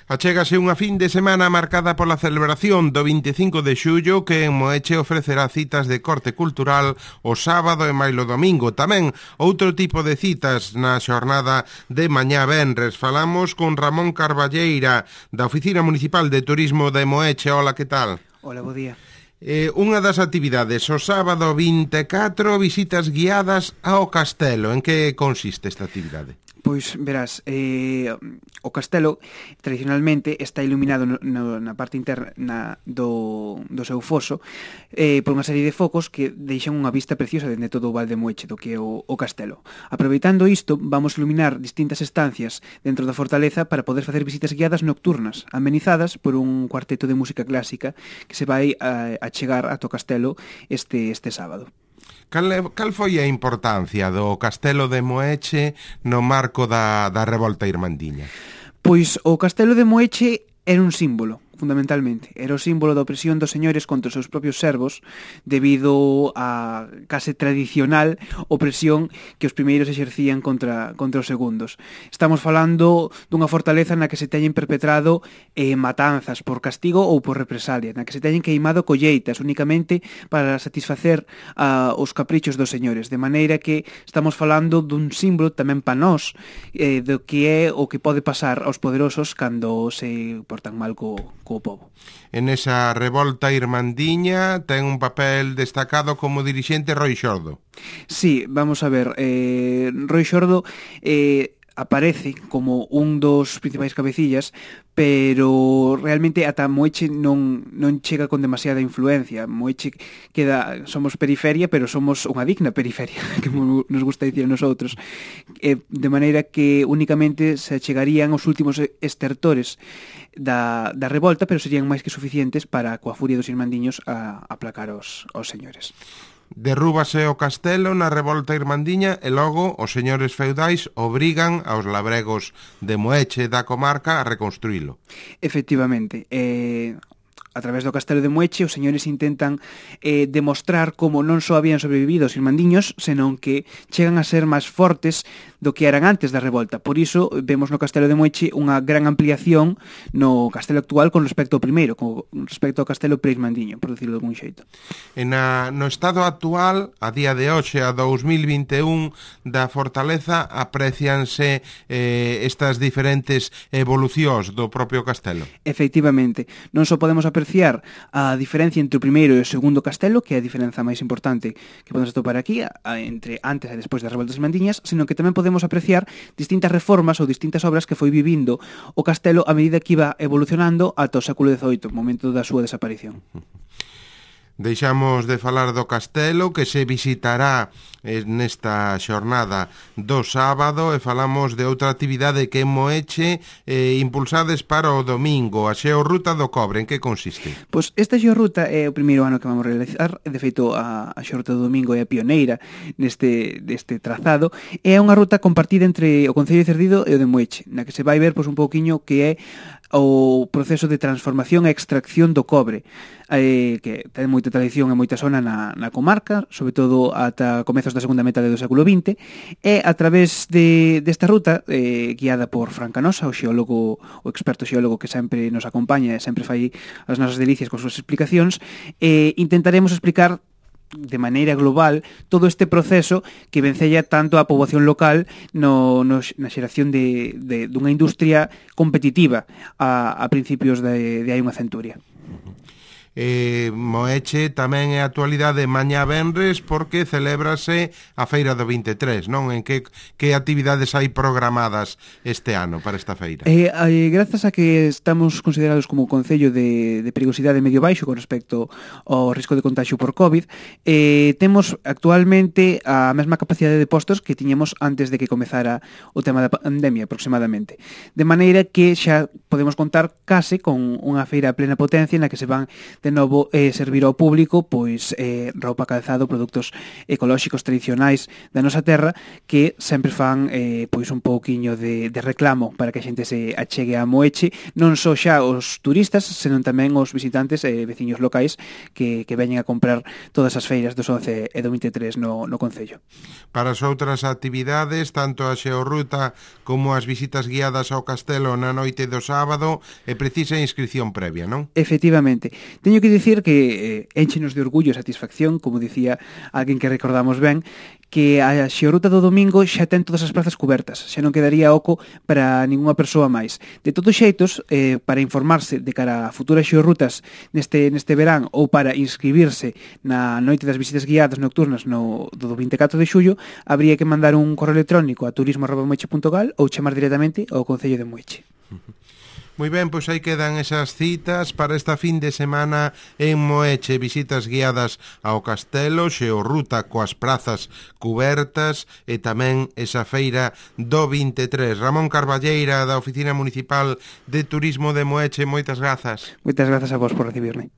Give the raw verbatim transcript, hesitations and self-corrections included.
Achégase unha fin de semana marcada pola celebración do vinte e cinco de xullo que en Moeche ofrecerá citas de corte cultural o sábado e mailo domingo. Tamén outro tipo de citas na xornada de mañá venres. Falamos con Ramón Carballeira da Oficina Municipal de Turismo de Moeche. Hola, que tal? Hola, bo día. Eh, unha das actividades, o sábado vinte e catro, visitas guiadas ao castelo. En que consiste esta actividade? Pois, verás, eh, o castelo tradicionalmente está iluminado no, no, na parte interna na, do, do seu foso eh, por unha serie de focos que deixan unha vista preciosa dende todo o Val de Moeche do que é o, o castelo. Aproveitando isto, vamos iluminar distintas estancias dentro da fortaleza para poder facer visitas guiadas nocturnas, amenizadas por un cuarteto de música clásica que se vai a, a chegar ato castelo este, este sábado. Cal, cal foi a importancia do castelo de Moeche no marco da, da revolta irmandiña? Pois o castelo de Moeche era un símbolo, fundamentalmente. Era o símbolo da opresión dos señores contra os seus propios servos debido á case tradicional opresión que os primeiros exercían contra, contra os segundos. Estamos falando dunha fortaleza na que se teñen perpetrado eh, matanzas por castigo ou por represalia, na que se teñen queimado colleitas únicamente para satisfacer uh, os caprichos dos señores, de maneira que estamos falando dun símbolo tamén pa nós eh, do que é o que pode pasar aos poderosos cando se portan mal co, co povo. En esa revolta irmandiña ten un papel destacado como dirixente Roi Xordo. Sí, vamos a ver, eh, Roi Xordo eh, aparece como un dos principais cabecillas, pero realmente ata Moeche non, non chega con demasiada influencia. Moeche queda, somos periferia, pero somos unha digna periferia, que nos gusta dicir a nosotros, eh, de maneira que únicamente se chegarían os últimos estertores da, da revolta, pero serían máis que suficientes para, coa furia dos irmandiños, a, a aplacar os, os señores. Derrúbase o castelo na revolta irmandiña e logo os señores feudais obrigan aos labregos de Moeche da comarca a reconstruílo. Efectivamente, eh, a través do castelo de Moeche os señores intentan eh, demostrar como non só habían sobrevivido os irmandiños, senón que chegan a ser máis fortes do que eran antes da revolta. Por iso vemos no castelo de Moeche unha gran ampliación no castelo actual con respecto ao primeiro, con respecto ao castelo pre-irmandiño, por decirlo de algún xeito. En a, no estado actual, a día de hoxe, a dos mil vinte e un, da fortaleza, aprecianse eh, estas diferentes evolucións do propio castelo. Efectivamente, non só podemos apreciar a diferencia entre o primeiro e o segundo castelo, que é a diferenza máis importante que podemos atopar aquí, a, a, entre antes e despois das revoltas irmandiñas, sino que tamén podemos apreciar distintas reformas ou distintas obras que foi vivindo o castelo a medida que iba evolucionando ata o século dezoito, momento da súa desaparición. Deixamos de falar do castelo que se visitará nesta xornada do sábado e falamos de outra actividade que en Moeche eh, impulsades para o domingo, a Xeorruta do Cobre. En que consiste? Pois esta xeorruta é o primeiro ano que vamos realizar, de feito a, a xeorruta do domingo é a pioneira neste, neste trazado, é unha ruta compartida entre o Concello de Cerdido e o de Moeche, na que se vai ver pois, un pouquiño que é o proceso de transformación e extracción do cobre, eh, que ten moita tradición e moita zona na, na comarca, sobre todo ata comezos da segunda metade do século vinte, e a través de, desta ruta, eh, guiada por Fran Canosa, o xeólogo, o experto xeólogo que sempre nos acompaña e sempre fai as nosas delicias con súas explicacións, eh, intentaremos explicar de maneira global todo este proceso que vencella tanto a poboación local no, no, na xeración de, de, dunha industria competitiva a, a principios de, de hai unha centuria. Eh, Moeche tamén é actualidade mañá venres porque celébrase a feira do vinte e tres, non? En que, que actividades hai programadas este ano para esta feira? Eh, eh, grazas a que estamos considerados como concello de, de perigosidade medio baixo con respecto ao risco de contagio por COVID, eh, temos actualmente a mesma capacidade de postos que tiñemos antes de que comezara o tema da pandemia aproximadamente, de maneira que xa podemos contar case con unha feira a plena potencia na que se van de novo eh, servir ao público pois eh, roupa, calzado, produtos ecolóxicos tradicionais da nosa terra que sempre fan eh, pois un pouquiño de, de reclamo para que a xente se achegue a Moeche, non só xa os turistas, senón tamén os visitantes e eh, veciños locais que, que veñen a comprar todas as feiras dos once e do vinte e tres no, no Concello. Para as outras actividades, tanto a xeorruta como as visitas guiadas ao castelo na noite do sábado, é precisa inscripción previa, non? Efectivamente. Teño que dicir que eh, enchenos de orgullo e satisfacción, como dicía alguén que recordamos ben, que a xeorruta do domingo xa ten todas as plazas cubertas, xa non quedaría oco para ningunha persoa máis. De todos xeitos, eh, para informarse de cara a futuras xeorrutas neste, neste verán ou para inscribirse na noite das visitas guiadas nocturnas no, do vinte e catro de xullo, habría que mandar un correo electrónico a turismo arroba moeche punto gal ou chamar directamente ao Concello de Moeche. Moi ben, pois aí quedan esas citas para esta fin de semana en Moeche, visitas guiadas ao castelo, xeorruta coas prazas cubertas e tamén esa feira do vinte e tres. Ramón Carballeira, da Oficina Municipal de Turismo de Moeche, moitas grazas. Moitas grazas a vos por recibirme.